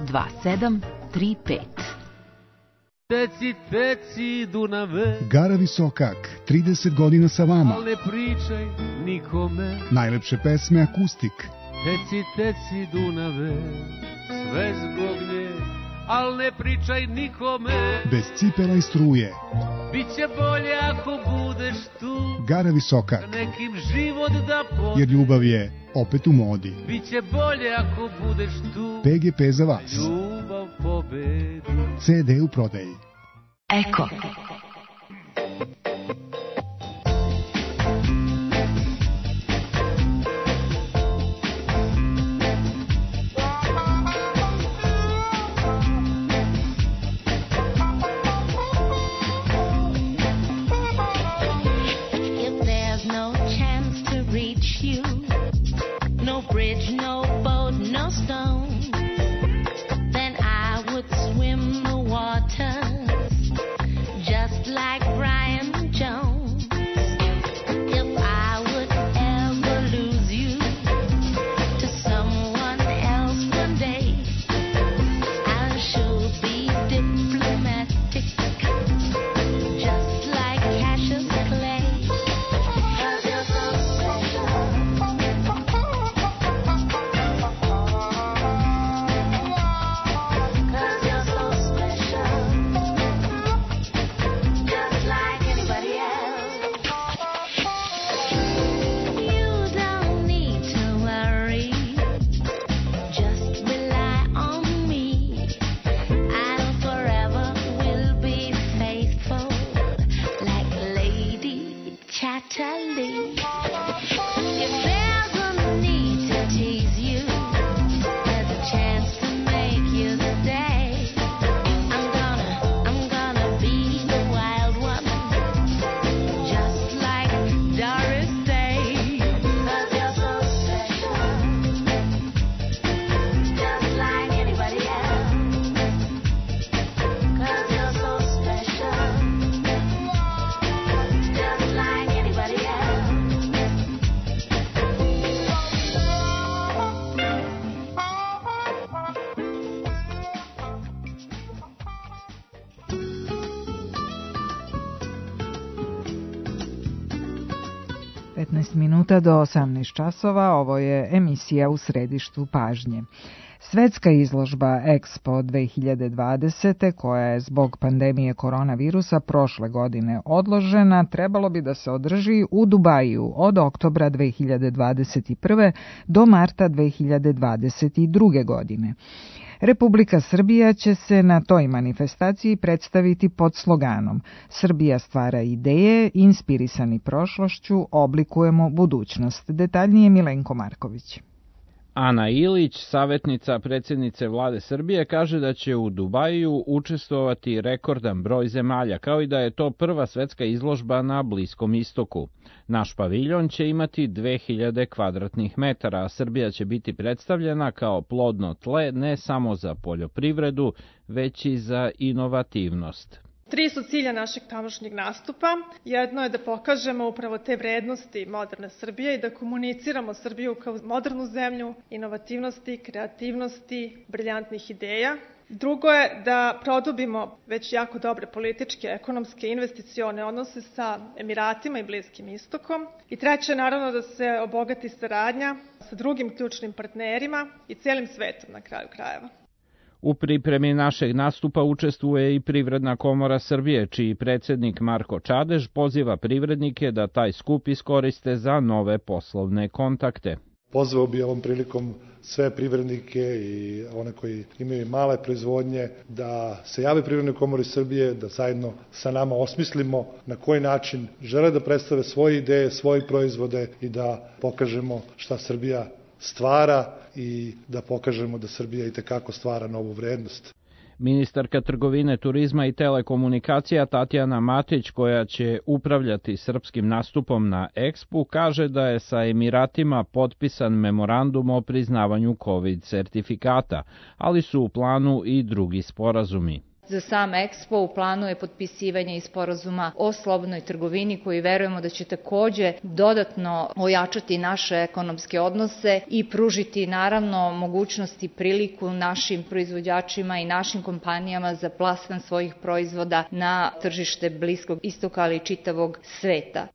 dva sedam tri pet. Teci, teci, Dunave. Gara Visokak, trideset godina sa vama. Al ne pričaj nikome. Najlepše pesme akustik. Teci, teci, Dunave, sve zbog nje, al ne pričaj nikome. Bez cipela i struje. Biće bolje ako budeš tu. Gara Visokak. Da nekim život da pobedi. Jer ljubav je opet u modi. Biće bolje ako budeš tu. pe ge pe za vas. Ljubav pobedi. ce de u prodaji. Eko. Just petnaest minuta do osamnaest časova, ovo je emisija U središtu pažnje. Svetska izložba Expo dve hiljade dvadesete, koja je zbog pandemije koronavirusa prošle godine odložena, trebalo bi da se održi u Dubaju od oktobra dve hiljade dvadeset prve do marta dve hiljade dvadeset druge. godine. Republika Srbija će se na toj manifestaciji predstaviti pod sloganom Srbija stvara ideje, inspirisani prošlošću, oblikujemo budućnost. Detaljnije Milenko Marković. Ana Ilić, savjetnica predsjednice vlade Srbije, kaže da će u Dubaju učestvovati rekordan broj zemalja, kao i da je to prva svetska izložba na Bliskom istoku. Naš paviljon će imati dve hiljade kvadratnih metara, a Srbija će biti predstavljena kao plodno tle ne samo za poljoprivredu, već i za inovativnost. Tri su cilja našeg tamošnjeg nastupa. Jedno je da pokažemo upravo te vrednosti moderne Srbije i da komuniciramo Srbiju kao modernu zemlju, inovativnosti, kreativnosti, briljantnih ideja. Drugo je da produbimo već jako dobre političke, ekonomske, investicione odnose sa Emiratima i Bliskim istokom. I treće je naravno da se obogati saradnja sa drugim ključnim partnerima i celim svetom na kraju krajeva. U pripremi našeg nastupa učestvuje i Privredna komora Srbije, čiji predsjednik Marko Čadež poziva privrednike da taj skup iskoriste za nove poslovne kontakte. Pozvao bi ovom prilikom sve privrednike i one koji imaju male proizvodnje da se jave Privrednoj komori Srbije, da zajedno sa nama osmislimo na koji način žele da predstave svoje ideje, svoje proizvode i da pokažemo šta Srbija stvara i da pokažemo da Srbija itekako stvara novu vrednost. Ministarka trgovine, turizma i telekomunikacija Tatjana Matić, koja će upravljati srpskim nastupom na Expu, kaže da je sa Emiratima potpisan memorandum o priznavanju COVID sertifikata, ali su u planu i drugi sporazumi. Za sam Expo u planu je potpisivanje i sporazuma o slobodnoj trgovini koji verujemo da će takođe dodatno ojačati naše ekonomske odnose i pružiti naravno mogućnost i priliku našim proizvođačima i našim kompanijama za plasman svojih proizvoda na tržište Bliskog istoka, ali i čitavog sveta.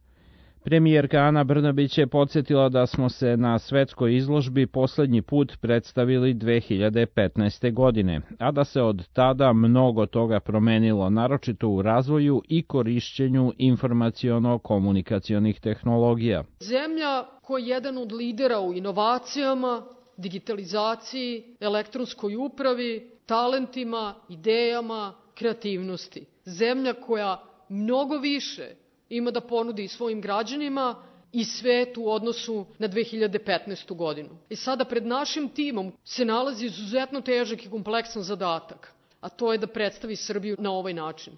Premijerka Ana Brnabić je podsjetila da smo se na svetskoj izložbi poslednji put predstavili dve hiljade petnaeste. godine, a da se od tada mnogo toga promenilo, naročito u razvoju i korišćenju informaciono-komunikacionih tehnologija. Zemlja koja je jedan od lidera u inovacijama, digitalizaciji, elektronskoj upravi, talentima, idejama, kreativnosti. Zemlja koja mnogo više ima da ponudi svojim građanima i svetu u odnosu na dve hiljade petnaestu. godinu. I sada pred našim timom se nalazi izuzetno težak i kompleksan zadatak, a to je da predstavi Srbiju na ovaj način.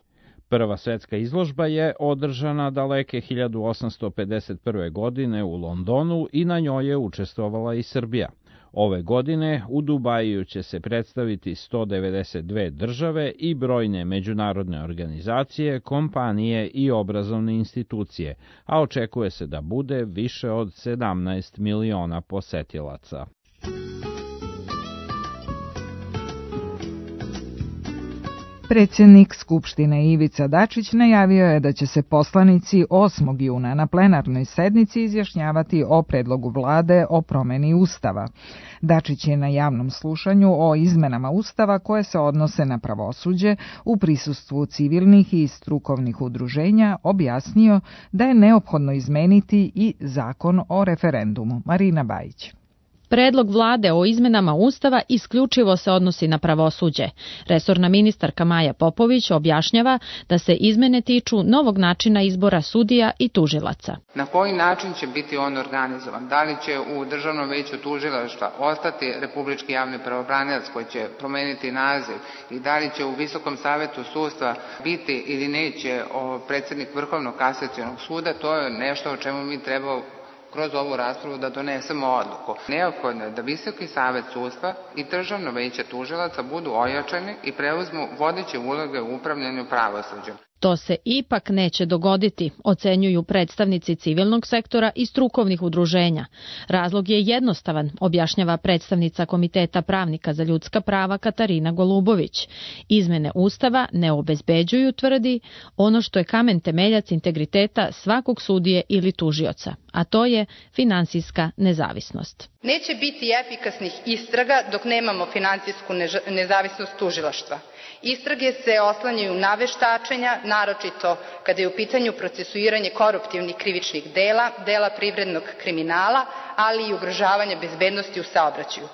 Prva svetska izložba je održana daleke hiljadu osamsto pedeset prve. godine u Londonu i na njoj je učestvovala i Srbija. Ove godine u Dubaju će se predstaviti sto devedeset dve države i brojne međunarodne organizacije, kompanije i obrazovne institucije, a očekuje se da bude više od sedamnaest miliona posetilaca. Predsjednik Skupštine Ivica Dačić najavio je da će se poslanici osmog juna na plenarnoj sednici izjašnjavati o predlogu vlade o promeni Ustava. Dačić je na javnom slušanju o izmenama Ustava koje se odnose na pravosuđe u prisustvu civilnih i strukovnih udruženja objasnio da je neophodno izmeniti i zakon o referendumu. Marina Bajić. Predlog vlade o izmenama Ustava isključivo se odnosi na pravosuđe. Resorna ministarka Maja Popović objašnjava da se izmene tiču novog načina izbora sudija i tužilaca. Na koji način će biti on organizovan? Da li će u Državnom veću tužilaštva ostati Republički javni pravobranilac koji će promeniti naziv i da li će u Visokom savetu sudstva biti ili neće predsjednik Vrhovnog kasacionog suda? To je nešto o čemu mi treba kroz ovu raspravu da donesemo odluku. Neophodno je da Visoki savet sudstva i Državno veće tužilaca budu ojačani i preuzmu vodeće uloge u upravljanju pravosuđem. To se ipak neće dogoditi, ocenjuju predstavnici civilnog sektora i strukovnih udruženja. Razlog je jednostavan, objašnjava predstavnica Komiteta pravnika za ljudska prava Katarina Golubović. Izmene Ustava ne obezbeđuju, tvrdi, ono što je kamen temeljac integriteta svakog sudije ili tužioca, a to je finansijska nezavisnost. Neće biti efikasnih istraga dok nemamo finansijsku nezavisnost tužilaštva. Istrage se oslanjaju na veštačenja, naročito kada je u pitanju procesuiranje koruptivnih krivičnih dela, dela privrednog kriminala, ali i ugrožavanja bezbednosti u saobraćaju.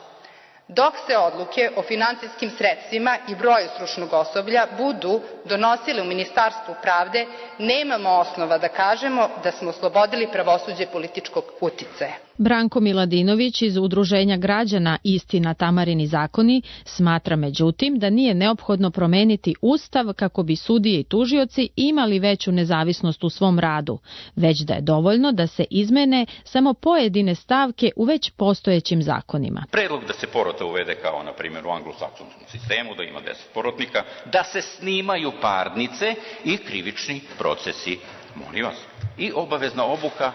Dok se odluke o finansijskim sredstvima i broju stručnog osoblja budu donosile u Ministarstvu pravde, nemamo osnova da kažemo da smo oslobodili pravosuđe političkog uticaja. Branko Miladinović iz Udruženja građana Istina, Tamarini zakoni smatra međutim da nije neophodno promeniti Ustav kako bi sudije i tužioci imali veću nezavisnost u svom radu, već da je dovoljno da se izmene samo pojedine stavke u već postojećim zakonima. Predlog da se porota uvede kao na primjer u anglosaksonskom sistemu, da ima deset porotnika, da se snimaju parnice i krivični procesi, molim vas, i obavezna obuka,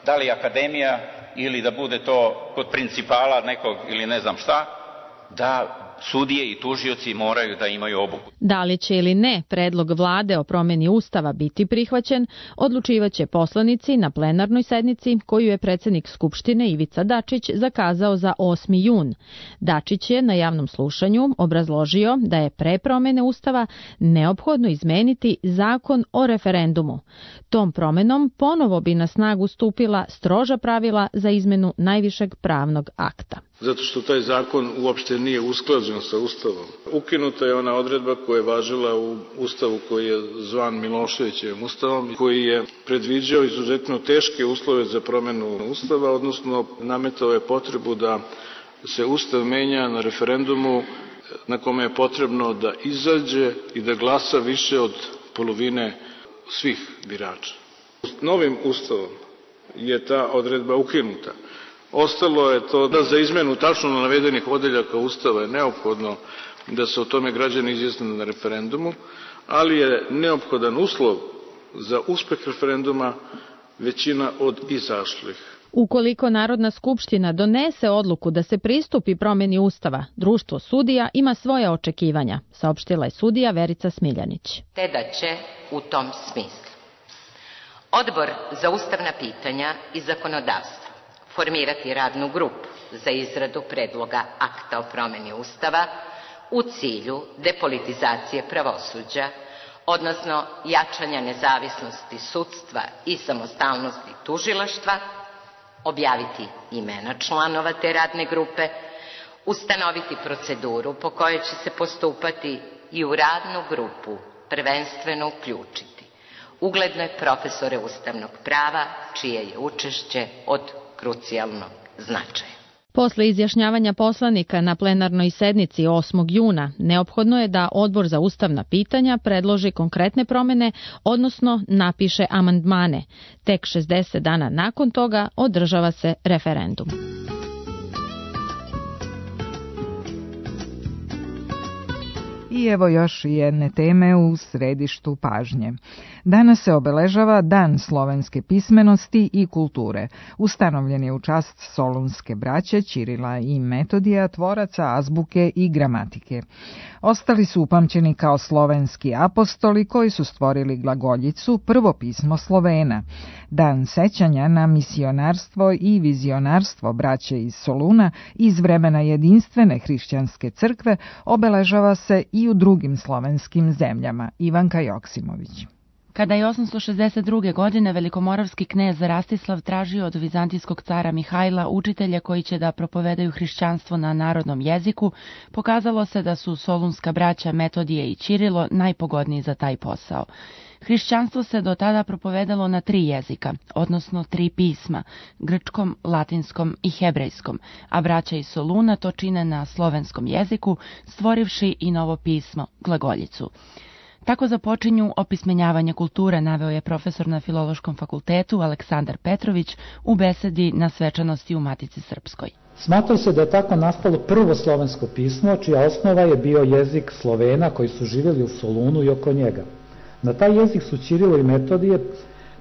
da li akademija ili da bude to kod principala nekog ili ne znam šta, da sudije i tužioci moraju da imaju obuku. Da li će ili ne predlog vlade o promeni Ustava biti prihvaćen, odlučivaće poslanici na plenarnoj sednici koju je predsjednik Skupštine Ivica Dačić zakazao za osmi jun. Dačić je na javnom slušanju obrazložio da je pre promene Ustava neophodno izmeniti zakon o referendumu. Tom promenom ponovo bi na snagu stupila stroža pravila za izmenu najvišeg pravnog akta. Zato što taj zakon uopšte nije usklađen sa Ustavom. Ukinuta je ona odredba koja je važila u Ustavu koji je zvan Miloševićevim Ustavom, koji je predviđao izuzetno teške uslove za promenu Ustava, odnosno nametao je potrebu da se Ustav menja na referendumu na kome je potrebno da izađe i da glasa više od polovine svih birača. Novim Ustavom je ta odredba ukinuta. Ostalo je to da za izmenu tačno navedenih odeljaka Ustava je neophodno da se o tome građani izjasne na referendumu, ali je neophodan uslov za uspeh referenduma većina od izašlih. Ukoliko Narodna skupština donese odluku da se pristupi promeni Ustava, društvo sudija ima svoja očekivanja, saopštila je sudija Verica Smiljanić. Te da će u tom smislu Odbor za ustavna pitanja i zakonodavstvo formirati radnu grupu za izradu predloga akta o promeni Ustava u cilju depolitizacije pravosuđa, odnosno jačanja nezavisnosti sudstva i samostalnosti tužilaštva, objaviti imena članova te radne grupe, ustanoviti proceduru po kojoj će se postupati i u radnu grupu prvenstveno uključiti ugledne profesore ustavnog prava, čije je učešće od krucijalnog značaja. Posle izjašnjavanja poslanika na plenarnoj sednici osmog juna, neophodno je da Odbor za ustavna pitanja predloži konkretne promene, odnosno napiše amandmane. Tek šezdeset dana nakon toga održava se referendum. I evo još jedne teme u središtu pažnje. Danas se obeležava Dan slovenske pismenosti i kulture. Ustanovljen je u čast solunske braće Ćirila i Metodija, tvoraca azbuke i gramatike. Ostali su upamćeni kao slovenski apostoli koji su stvorili glagoljicu, prvo pismo Slovena. Dan sećanja na misionarstvo i vizionarstvo braće iz Soluna iz vremena jedinstvene hrišćanske crkve obeležava se i u drugim slovenskim zemljama. Ivanka Joksimović. Kada je osamsto šezdeset druge. godine velikomoravski knez Rastislav tražio od vizantijskog cara Mihajla učitelje koji će da propovedaju hrišćanstvo na narodnom jeziku, pokazalo se da su solunska braća Metodije i Ćirilo najpogodniji za taj posao. Hrišćanstvo se do tada propovedalo na tri jezika, odnosno tri pisma, grčkom, latinskom i hebrejskom, a braća iz Soluna to čine na slovenskom jeziku, stvorivši i novo pismo, glagoljicu. Tako započinju opismenjavanje kulture, naveo je profesor na Filološkom fakultetu Aleksandar Petrović u besedi na svečanosti u Matici Srpskoj. Smatra se da je tako nastalo prvo slovensko pismo, čija osnova je bio jezik Slovena koji su živjeli u Solunu i oko njega. Na taj jezik su Ćirilo i Metodije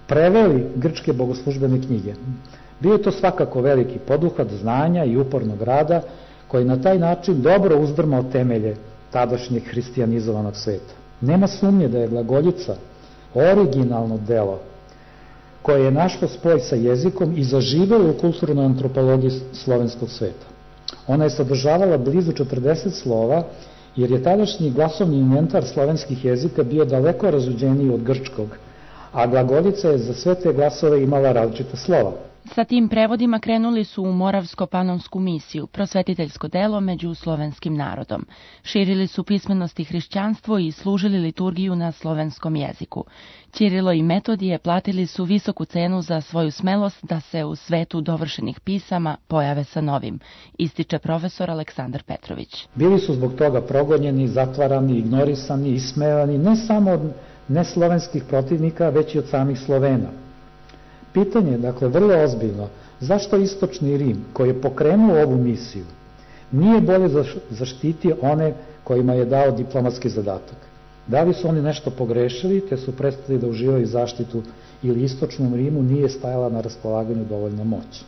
preveli grčke bogoslužbene knjige. Bio je to svakako veliki poduhvat znanja i upornog rada koji na taj način dobro uzdrmao temelje tadašnjeg hristijanizovanog sveta. Nema sumnje da je glagoljica originalno delo koje je našlo spoj sa jezikom i zaživelo u kulturnoj antropologiji slovenskog sveta. Ona je sadržavala blizu četrdeset slova, jer je tadašnji glasovni inventar slovenskih jezika bio daleko razuđeniji od grčkog, a glagoljica je za sve te glasove imala različita slova. Sa tim prevodima krenuli su u Moravsko-Panonsku misiju, prosvetiteljsko delo među slovenskim narodom. Širili su pismenost i hrišćanstvo i služili liturgiju na slovenskom jeziku. Ćirilo i Metodije platili su visoku cenu za svoju smelost da se u svetu dovršenih pisama pojave sa novim, ističe profesor Aleksandar Petrović. Bili su zbog toga progonjeni, zatvarani, ignorisani, ismevani, ne samo od neslovenskih protivnika, već i od samih Slovena. Pitanje je, dakle, vrlo ozbiljno, zašto Istočni Rim, koji je pokrenuo ovu misiju, nije bolje zaštitio one kojima je dao diplomatski zadatak? Da li su oni nešto pogrešili, te su prestali da uživaju zaštitu, ili Istočnom Rimu nije stajala na raspolaganju dovoljna moć?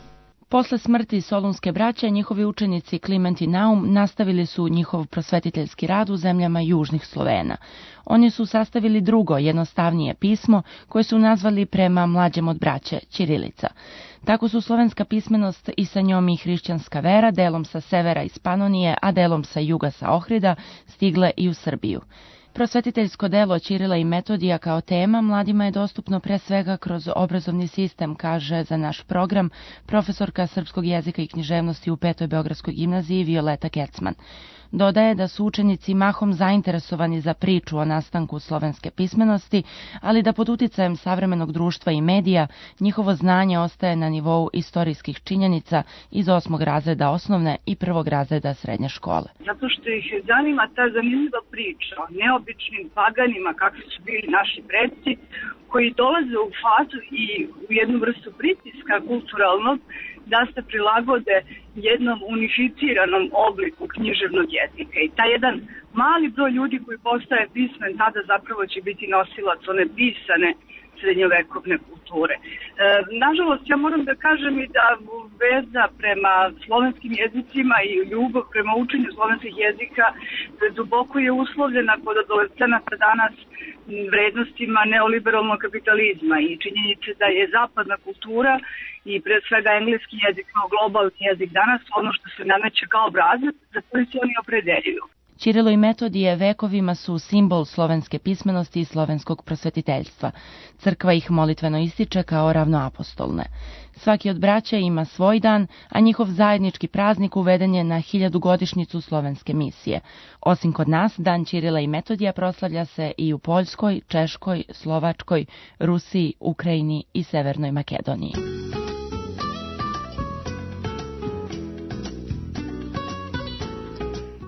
Posle smrti Solunske braće, njihovi učenici Kliment i Naum nastavili su njihov prosvetiteljski rad u zemljama južnih Slovena. Oni su sastavili drugo, jednostavnije pismo, koje su nazvali prema mlađem od braće, ćirilica. Tako su slovenska pismenost i sa njom i hrišćanska vera, delom sa severa iz Panonije, a delom sa juga sa Ohrida, stigle i u Srbiju. Prosvetiteljsko delo Ćirila i Metodija kao tema mladima je dostupno pre svega kroz obrazovni sistem, kaže za naš program profesorka srpskog jezika i književnosti u Petoj Beogradskoj gimnaziji Violeta Kecman. Dodaje da su učenici mahom zainteresovani za priču o nastanku slovenske pismenosti, ali da pod uticajem savremenog društva i medija njihovo znanje ostaje na nivou istorijskih činjenica iz osmog razreda osnovne i prvog razreda srednje škole. Zato što ih zanima ta zanimljiva priča o neobičnim paganima kakvi su bili naši predci, koji dolaze u fazu i u jednu vrstu pritiska kulturalnog da se prilagode jednom unificiranom obliku književnog jezika. I taj jedan mali broj ljudi koji postaje pismen, tada zapravo će biti nosilac one pisane srednjovekovne kulture. E, nažalost, ja moram da kažem i da veza prema slovenskim jezicima i ljubav prema učenju slovenskih jezika duboko je uslovljena kod adolescenata danas vrednostima neoliberalnog kapitalizma i činjenice da je zapadna kultura i pre svega engleski jezik kao globalni jezik danas ono što se nameće kao obrazac za koji se oni opredeljuju. Ćirilo i Metodije vekovima su simbol slovenske pismenosti i slovenskog prosvetiteljstva. Crkva ih molitveno ističe kao ravnoapostolne. Svaki od braća ima svoj dan, a njihov zajednički praznik uveden je na hiljadugodišnjicu slovenske misije. Osim kod nas, dan Ćirila i Metodija proslavlja se i u Poljskoj, Češkoj, Slovačkoj, Rusiji, Ukrajini i Severnoj Makedoniji.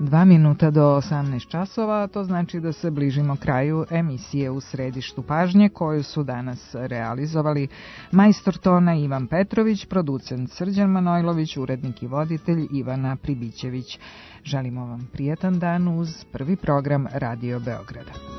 Dva minuta do osamnaest časova, to znači da se bližimo kraju emisije U središtu pažnje koju su danas realizovali majstor tona Ivan Petrović, producent Srđan Manojlović, urednik i voditelj Ivana Pribićević. Želimo vam prijetan dan uz prvi program Radio Beograda.